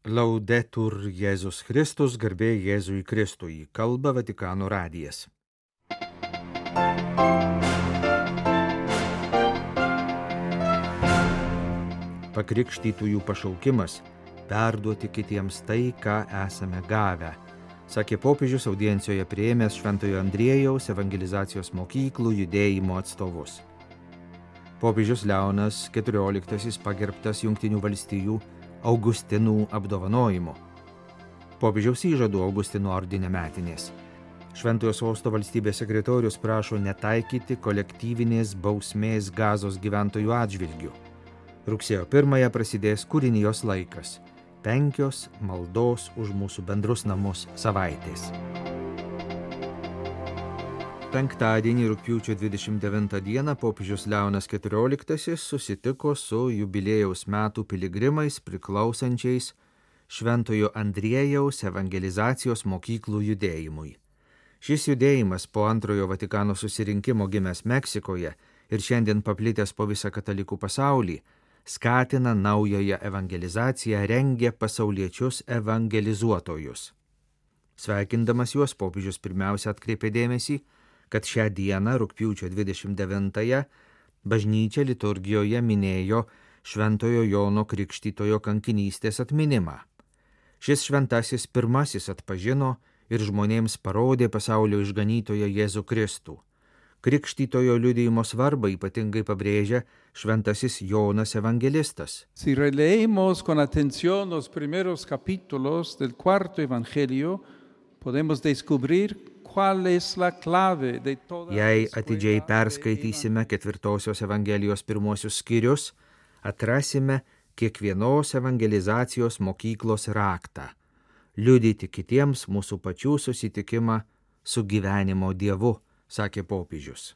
Laudetur Jėzus Kristus, garbė Jėzui Kristui, kalba Vatikano radijas. Pakrikštytųjų pašaukimas – perduoti kitiems tai, ką esame gavę, sakė popiežius audiencijoje priėmęs Šventojo Andriejaus evangelizacijos mokyklų judėjimo atstovus. Popiežius Leonas XIV pagerbtas Jungtinių valstijų Augustinų apdovanojimu. Popiežiaus įžadų Augustinų ordine metinės. Šventojo sosto valstybės sekretorius prašo netaikyti kolektyvinės bausmės Gazos gyventojų atžvilgių. Rugsėjo 1 prasidės kūrinijos laikas – 5 maldos už mūsų bendrus namus savaitės. Penktadienį rugpjūčio 29 dieną popiežius Leonas XIV susitiko su jubiliejaus metų piligrimais priklausančiais Šventojo Andriejaus evangelizacijos mokyklų judėjimui. Šis judėjimas po antrojo Vatikano susirinkimo gimęs Meksikoje ir šiandien paplitęs po visą katalikų pasaulį, skatina naująją evangelizaciją, rengia pasauliečius evangelizuotojus. Sveikindamas juos, popiežius pirmiausia atkreipė dėmesį, kad šią dieną, rugpjūčio 29-ąją, bažnyčia liturgijoje minėjo Šventojo Jono Krikštytojo kankinystės atminimą. Šis šventasis pirmasis atpažino ir žmonėms parodė pasaulio išganytoją Jėzų Kristų. Krikštytojo liudijimo svarbą ypatingai pabrėžia šventasis Jonas evangelistas. Si releemos con atención los primeros capítulos del cuarto evangelio, podemos descubrir Jei atidžiai perskaitysime 4 Evangelijos pirmosius skyrius, atrasime kiekvienos evangelizacijos mokyklos raktą – liudyti kitiems mūsų pačių susitikimą su gyvenimo Dievu, sakė popiežius.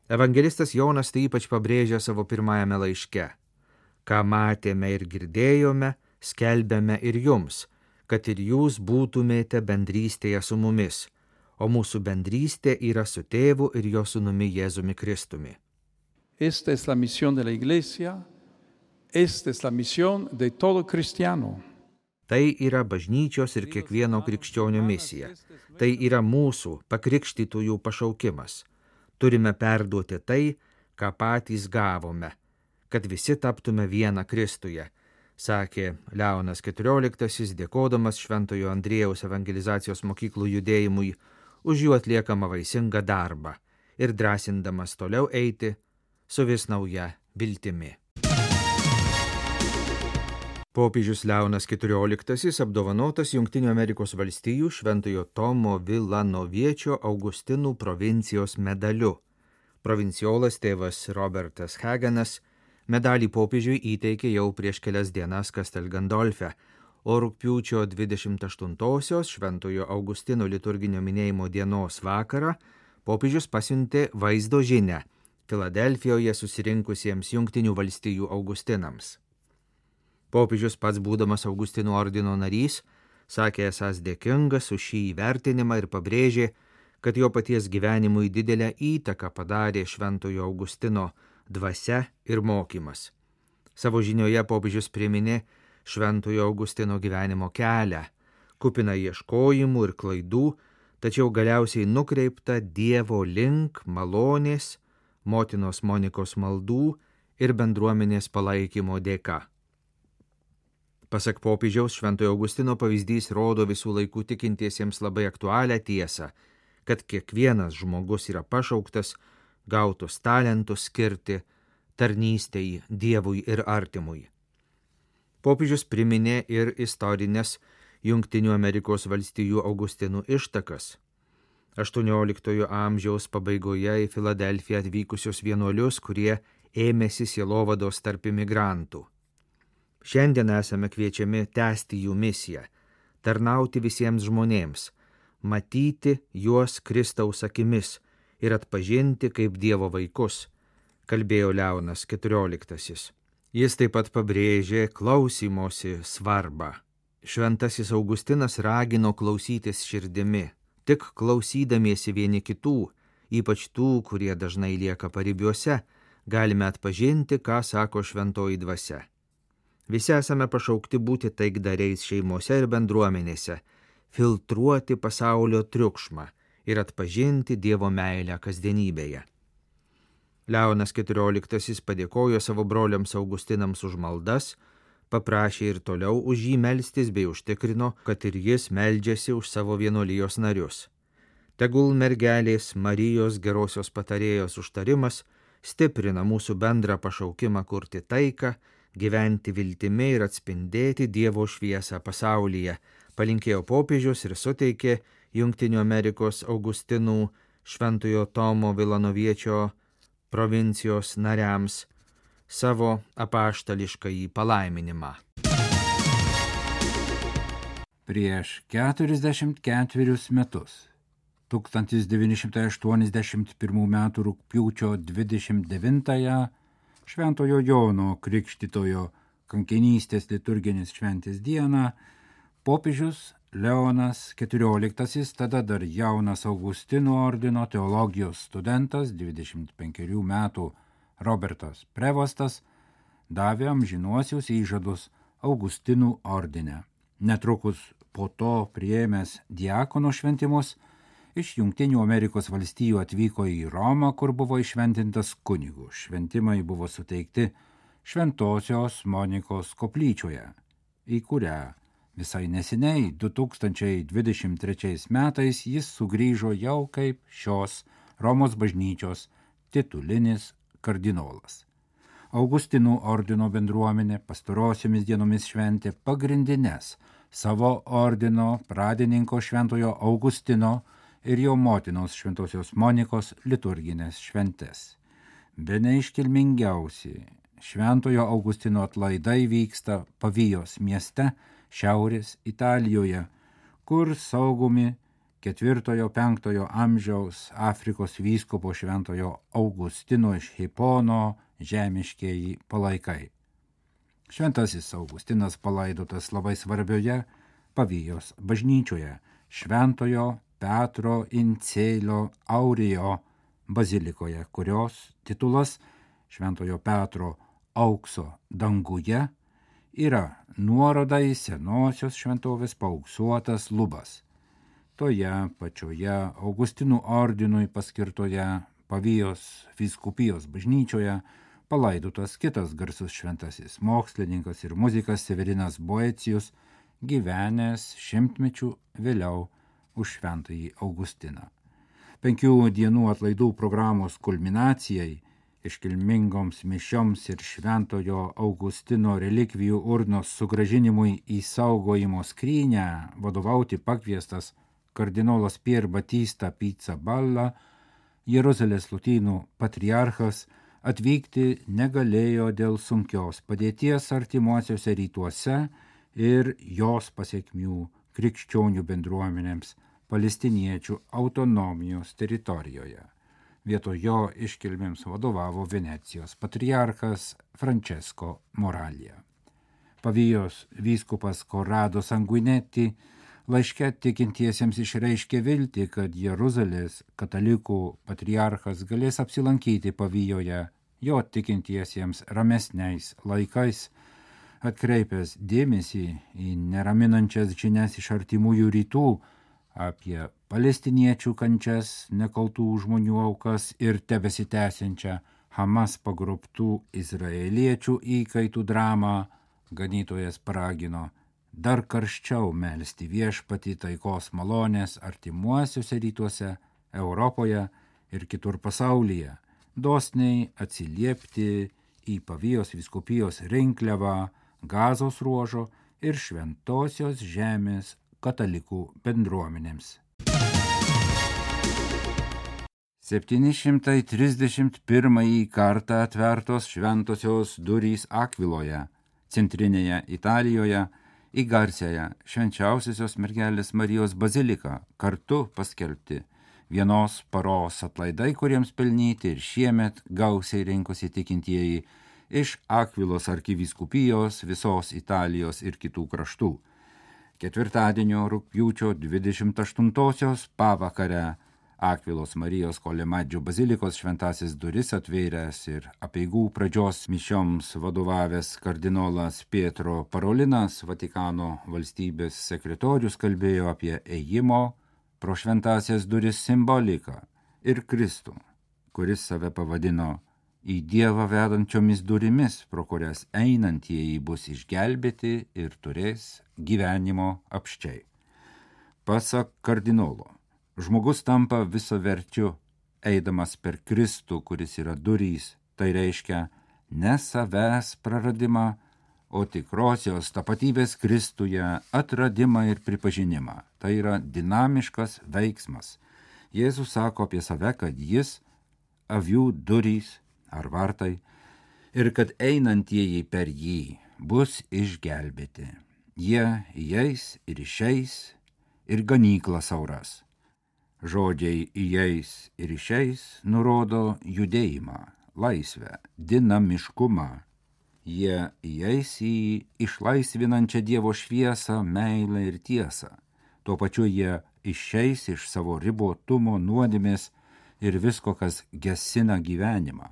Evangelistas Jonas tai ypač pabrėžia savo pirmajame laiške. Ką matėme ir girdėjome, skelbėme ir jums, kad ir jūs būtumėte bendrystėje su mumis, o mūsų bendrystė yra su tėvu ir jo sūnumi Jėzumi Kristumi. Esta es la misión de la iglesia, esta es la misión de todo cristiano. Tai yra bažnyčios ir kiekvieno krikščionio misija. Tai yra mūsų pakrikštytųjų pašaukimas. Turime perduoti tai, ką patys gavome, kad visi taptume vieną Kristuje, sakė Leonas XIV, dėkodamas Šventojo Andriejaus evangelizacijos mokyklų judėjimui už jų atliekamą vaisingą darbą ir drąsindamas toliau eiti su vis nauja viltimi. Popiežius Leonas XIV apdovanotas Jungtinių Amerikos valstijų Šventojo Tomo Vilanoviečio Augustinų provincijos medaliu. Provinciolas tėvas Robertas Hagenas medalį popiežiui įteikė jau prieš kelias dienas Castel Gandolfe, o rugpjūčio 28-osios Šventojo Augustino liturginio minėjimo dienos vakarą popiežius pasiuntė vaizdo žinią Filadelfijoje susirinkusiems Jungtinių valstijų Augustinams. Popiežius pats būdamas Augustinų ordino narys, sakė esąs dėkingas už šį įvertinimą ir pabrėžė, kad jo paties gyvenimui didelę įtaką padarė Šventojo Augustino dvasia ir mokymas. Savo žinioje popiežius priminė Šventojo Augustino gyvenimo kelią, kupiną ieškojimų ir klaidų, tačiau galiausiai nukreiptą Dievo link malonės, motinos Monikos maldų ir bendruomenės palaikymo dėka. Pasak popiežiaus, Šventojo Augustino pavyzdys rodo visų laikų tikintiesiems labai aktualią tiesą, kad kiekvienas žmogus yra pašauktas gautus talentus skirti tarnystei Dievui ir artimui. Popiežius priminė ir istorinės Jungtinių Amerikos valstijų Augustinų ištakas. 18 amžiaus pabaigoje į Filadelfiją atvykusius vienuolius, kurie ėmėsi sielovados tarp imigrantų. Šiandien esame kviečiami tęsti jų misiją, tarnauti visiems žmonėms, matyti juos Kristaus akimis ir atpažinti kaip Dievo vaikus, kalbėjo Leonas XIV. Jis taip pat pabrėžė klausymosi svarbą. Šventasis Augustinas ragino klausytis širdimi, tik klausydamiesi vieni kitų, ypač tų, kurie dažnai lieka paribiuose, galime atpažinti, ką sako šventoji dvasia. Visi esame pašaukti būti taikdariais šeimose ir bendruomenėse, filtruoti pasaulio triukšmą ir atpažinti Dievo meilę kasdienybėje. Leonas XIV padėkojo savo broliams Augustinams už maldas, paprašė ir toliau už jį melstis bei užtikrino, kad ir jis meldžiasi už savo vienuolijos narius. Tegul mergelės Marijos gerosios patarėjos užtarimas stiprina mūsų bendrą pašaukimą kurti taiką, gyventi viltimi ir atspindėti Dievo šviesą pasaulyje, palinkėjo popiežius ir suteikė Jungtinių Amerikos Augustinų Šventojo Tomo Vilanoviečio provincijos nariams savo apaštališkąjį palaiminimą. Prieš 44 metus, 1981 m. rugpjūčio 29-ąją, Šventojo Jono Krikštytojo kankinystės liturginės šventės dieną, popiežius Leonas XIV, tada dar jaunas Augustinų ordino teologijos studentas, 25 metų Robertas Prevostas, davė amžinuosius įžadus Augustinų ordine. Netrukus po to priėmęs diakono šventimus, iš Jungtinių Amerikos valstijų atvyko į Romą, kur buvo iššventintas kunigu. Šventimai buvo suteikti Šventosios Monikos koplyčioje, į kurią visai neseniai 2023 metais jis sugrįžo jau kaip šios Romos bažnyčios titulinis kardinolas. Augustinų ordino bendruomenė pastarosiomis dienomis šventė pagrindines savo ordino pradininko Šventojo Augustino ir jo motinos Šventosios Monikos liturginės šventes. Bene iškilmingiausi Šventojo Augustino atlaidai vyksta Pavijos mieste, Šiaurės Italijoje, kur saugomi 4-5 amžiaus Afrikos vyskupo Šventojo Augustino iš Hipono žemiškieji palaikai. Šventasis Augustinas palaidotas labai svarbioje Pavijos bažnyčioje, Šventojo Petro Incelio Aurijo bazilikoje, kurios titulas Šventojo Petro aukso danguje yra nuoroda į senosios šventovės paauksuotas lubas. Toje pačioje Augustinų ordinui paskirtoje Pavijos vyskupijos bažnyčioje palaidotas kitas garsus šventasis mokslininkas ir muzikas Severinas Boecijus, gyvenęs 100 mečių vėliau už Šventąjį Augustiną. 5 dienų atlaidų programos kulminacijai, iškilmingoms mišioms ir Šventojo Augustino relikvijų urnos sugrąžinimui į saugojimo skrynę vadovauti pakviestas kardinolas Pier Battista Pizzaballa, Jeruzalės lotynų patriarchas, atvykti negalėjo dėl sunkios padėties artimuosiuose rytuose ir jos pasekmių krikščionių bendruomenėms palestiniečių autonomijos teritorijoje. Vietoj jo iškilmėms vadovavo Venecijos patriarchas Francesco Moralija. Pavijos vyskupas Corrado Sanguinetti laiške tikintiesiems išreiškė viltį, kad Jeruzalės katalikų patriarchas galės apsilankyti Pavijoje jo tikintiesiems ramesniais laikais, atkreipęs dėmesį į neraminančias žinias iš artimųjų rytų apie palestiniečių kančias, nekaltų žmonių aukas ir tebesitęsiančią Hamas pagrobtų izraeliečių įkaitų dramą, ganytojas paragino dar karščiau melsti viešpatį taikos malonės artimuosiuose rytuose, Europoje ir kitur pasaulyje, dosniai atsiliepti į Pavijos vyskupijos rinkliavą, Gazos ruožo ir Šventosios žemės katalikų bendruomenėms. 731 kartą atvertos šventosios durys Akviloje, centrinėje Italijoje, į garsiąją švenčiausiosios mergelės Marijos baziliką kartu paskelbti vienos paros atlaidai, kuriems pelnyti ir šiemet gausiai rinkosi tikintieji iš Akvilos arkivyskupijos, visos Italijos ir kitų kraštų. Ketvirtadienio rugpjūčio 28-osios pavakare Akvilos Marijos Kolemadžio bazilikos šventasis duris atvėręs ir apeigų pradžios mišioms vadovavęs kardinolas Pietro Parolinas, Vatikano valstybės sekretorius, kalbėjo apie ėjimo pro šventasias duris simboliką ir Kristų, kuris save pavadino į Dievą vedančiomis durimis, pro kurias einantieji bus išgelbėti ir turės gyvenimo apsčiai. Pasak kardinolo, žmogus tampa visaverčiu, eidamas per Kristų, kuris yra durys, tai reiškia ne savęs praradimą, o tikrosios tapatybės Kristuje atradimą ir pripažinimą. Tai yra dinamiškas veiksmas. Jėzus sako apie save, kad jis avių durys ar vartai ir kad einantieji per jį bus išgelbėti. Jie įeis ir išeis ir ganykla sauras. Žodžiai įeis ir išeis nurodo judėjimą, laisvę, dinamiškumą. Jie įeis į išlaisvinančią Dievo šviesą, meilę ir tiesą. Tuo pačiu jie išeis iš savo ribotumo, nuodėmės ir visko, kas gesina gyvenimą.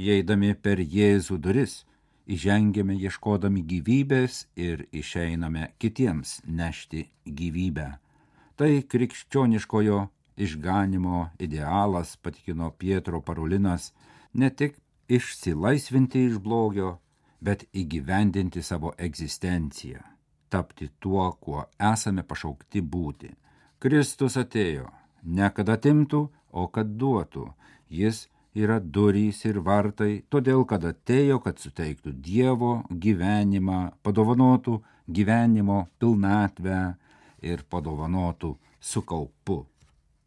Įeidami per Jėzų duris, įžengiame ieškodami gyvybės ir išeiname kitiems nešti gyvybę. Tai krikščioniškojo išganimo idealas, patikino Pietro Parolinas, ne tik išsilaisvinti iš blogio, bet įgyvendinti savo egzistenciją, tapti tuo, kuo esame pašaukti būti. Kristus atėjo, ne kad atimtų, o kad duotų. Jis yra durys ir vartai, todėl kad atėjo, kad suteiktų Dievo gyvenimą, padovanotų gyvenimo pilnatvę ir padovanotų su kaupu.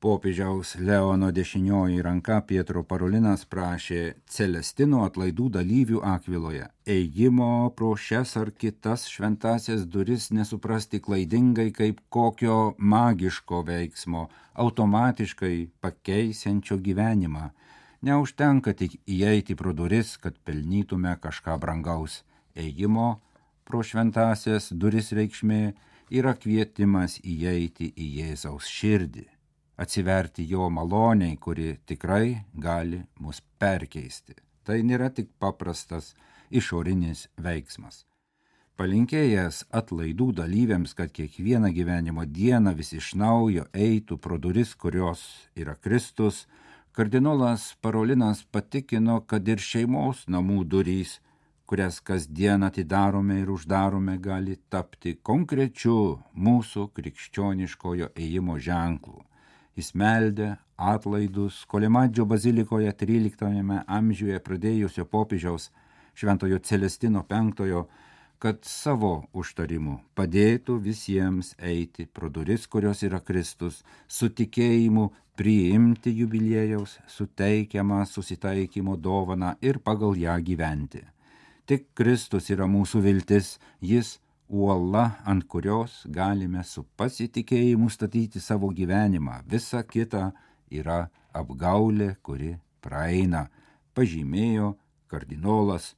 Popiežiaus Leono dešinioji ranka Pietro Parolinas prašė Celestino atlaidų dalyvių Akviloje ėjimo pro šias ar kitas šventasias duris nesuprasti klaidingai kaip kokio magiško veiksmo, automatiškai pakeisiančio gyvenimą. Neužtenka tik įeiti pro duris, kad pelnytume kažką brangaus. Ėjimo pro šventasias duris reikšmė yra kvietimas įeiti į Jėzaus širdį, atsiverti jo maloniai, kuri tikrai gali mus perkeisti. Tai nėra tik paprastas išorinis veiksmas. Palinkėjęs atlaidų dalyviams, kad kiekvieną gyvenimo dieną vis iš naujo eitų pro duris, kurios yra Kristus, kardinolas Parolinas patikino, kad ir šeimos namų durys, kurias kasdien atidarome ir uždarome, gali tapti konkrečiu mūsų krikščioniškojo ėjimo ženklu. Jis meldė atlaidus Kolemadžio bazilikoje 13 amžiuje pradėjusio popiežiaus Šventojo Celestino V, kad savo užtarimu padėtų visiems eiti pro duris, kurios yra Kristus, su tikėjimu priimti jubiliejaus suteikiamą susitaikymo dovaną ir pagal ją gyventi. Tik Kristus yra mūsų viltis, jis uola, ant kurios galime su pasitikėjimu statyti savo gyvenimą. Visa kita yra apgaulė, kuri praeina, pažymėjo kardinolas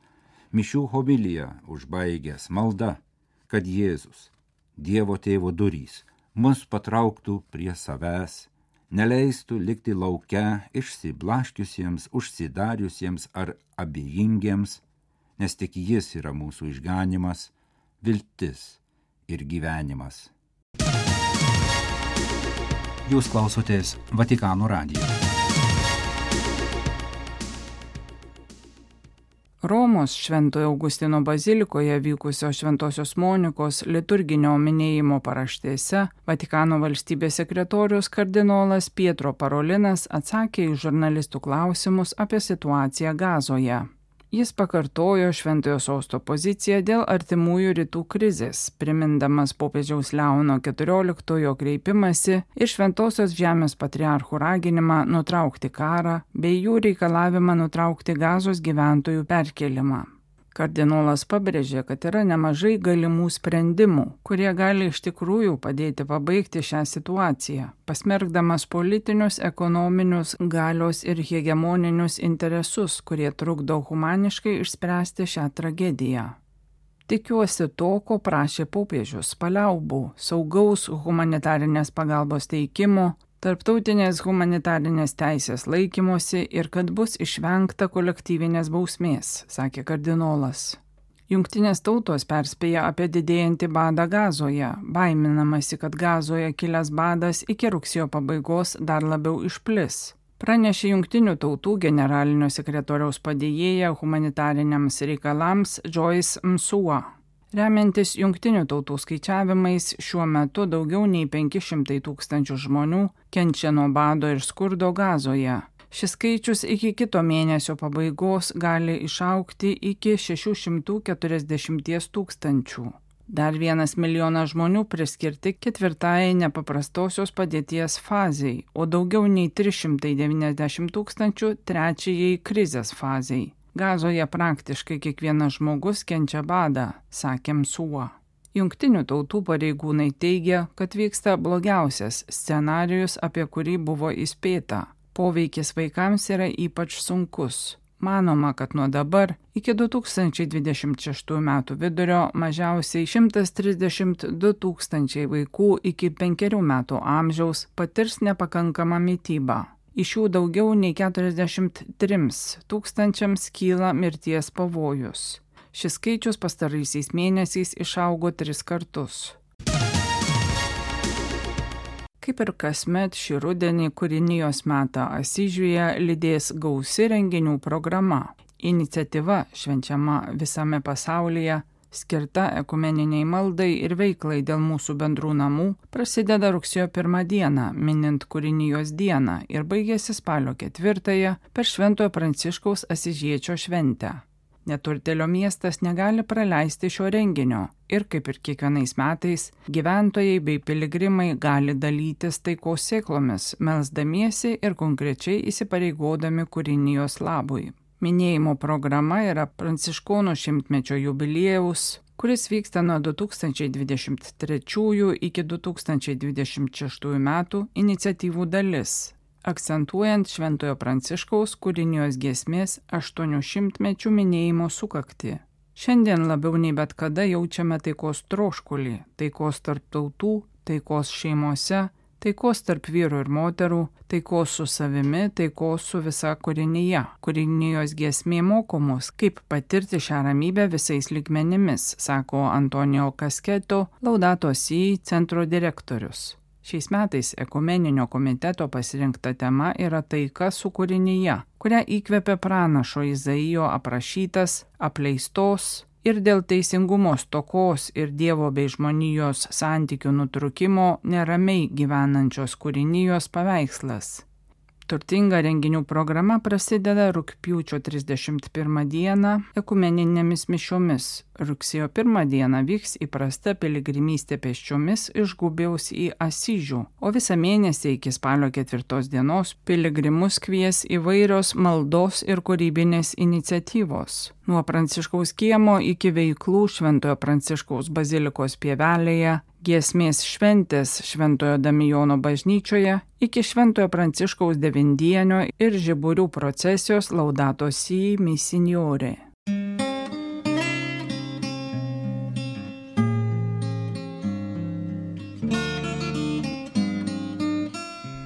mišių homiliją užbaigęs malda, kad Jėzus, Dievo Tėvo durys, mus patrauktų prie savęs, neleistų likti lauke išsiblaškiusiems, užsidariusiems ar abejingiems, nes tik jis yra mūsų išganimas, viltis ir gyvenimas. Jūs klausotės Vatikano radijo. Romos Šventojo Augustino bazilikoje vykusio Šventosios Monikos liturginio minėjimo paraštėse Vatikano valstybės sekretorius kardinolas Pietro Parolinas atsakė į žurnalistų klausimus apie situaciją Gazoje. Jis pakartojo Šventojo Sosto poziciją dėl artimųjų rytų krizės, primindamas popiežiaus Leono XIV kreipimąsi ir Šventosios Žemės patriarchų raginimą nutraukti karą bei jų reikalavimą nutraukti Gazos gyventojų perkėlimą. Kardinolas pabrėžė, kad yra nemažai galimų sprendimų, kurie gali iš tikrųjų padėti pabaigti šią situaciją, pasmerkdamas politinius, ekonominius, galios ir hegemoninius interesus, kurie trukdo humaniškai išspręsti šią tragediją. Tikiuosi to, ko prašė popiežius, paliaubų, saugaus humanitarinės pagalbos teikimo, tarptautinės humanitarinės teisės laikymosi ir kad bus išvengta kolektyvinės bausmės, sakė kardinolas. Jungtinės tautos perspėja apie didėjantį badą Gazoje, baiminamasi, kad Gazoje kilęs badas iki rugsėjo pabaigos dar labiau išplis. Pranešė Jungtinių tautų generalinio sekretoriaus padėjėja humanitariniams reikalams Joyce Msuva. Remiantis Jungtinių tautų skaičiavimais, šiuo metu daugiau nei 500 tūkstančių žmonių kenčia nuo bado ir skurdo Gazoje. Šis skaičius iki kito mėnesio pabaigos gali išaugti iki 640 tūkstančių. Dar 1 milijonas žmonių priskirti 4. nepaprastosios padėties fazei, o daugiau nei 390 tūkstančių 3. krizės fazei. Gazoje praktiškai kiekvienas žmogus kenčia badą, sakė Msuva. Jungtinių tautų pareigūnai teigia, kad vyksta blogiausias scenarijus, apie kurį buvo įspėta. Poveikis vaikams yra ypač sunkus. Manoma, kad nuo dabar iki 2026 metų vidurio mažiausiai 132 tūkstančiai vaikų iki 5 metų amžiaus patirs nepakankamą mitybą. Iš jų daugiau nei 43 tūkstančiams kyla mirties pavojus. Šis skaičius pastaraisiais mėnesiais išaugo 3 kartus. Kaip ir kasmet šį rudenį kūrinijos metą Asyžiuje lydės gausi renginių programa. Iniciatyva švenčiama visame pasaulyje, skirta ekumeniniai maldai ir veiklai dėl mūsų bendrų namų, prasideda rugsėjo 1 dieną, minint kūrinijos dieną ir baigėsi spalio 4 per Šventojo Pranciškaus Asyžiečio šventę. Neturtėlio miestas negali praleisti šio renginio ir, kaip ir kiekvienais metais, gyventojai bei piligrimai gali dalytis taikos sėklomis, melsdamiesi ir konkrečiai įsipareigodami kūrinijos labui. Minėjimo programa yra Pranciškonų 100-mečio jubiliejaus, kuris vyksta nuo 2023 iki 2026 metų iniciatyvų dalis, akcentuojant Šventojo Pranciškaus kūrinijos giesmės 800-mečių minėjimo sukaktį. Šiandien labiau nei bet kada jaučiame taikos troškulį, taikos tarp tautų, taikos šeimose, taikos tarp vyrų ir moterų, taikos su savimi, taikos su visa kūrinyje. Kūrinijos giesmė moko mus, kaip patirti šią ramybę visais lygmenimis, sako Antonijo Kasketo, Laudato Si centro direktorius. Šiais metais ekumeninio komiteto pasirinkta tema yra taika su kūrinyje, kurią įkvėpė pranašo Izaijo aprašytas, apleistos ir dėl teisingumo stokos ir Dievo bei žmonijos santykių nutrūkimo neramiai gyvenančios kūrinijos paveikslas. Turtinga renginių programa prasideda rugpjūčio 31 dieną ekumeninėmis mišiomis. Rugsėjo 1 dieną vyks įprasta piligrimystė pėsčiomis iš Gubiaus į Asyžių, o visą mėnesį iki spalio 4 dienos piligrimus kvies įvairios maldos ir kūrybinės iniciatyvos. Nuo Pranciškaus kiemo iki veiklų Šventojo Pranciškaus bazilikos pievelėje, giesmės šventės Šventojo Damijono bažnyčioje iki Šventojo Pranciškaus devindienio ir žiburių procesijos Laudato Si Misiniore.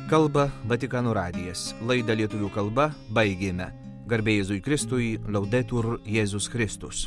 Kalba Vatikano radijas. Laidą lietuvių kalba baigėme. Garbė Jėzui Kristui, Laudetur Jėzus Kristus.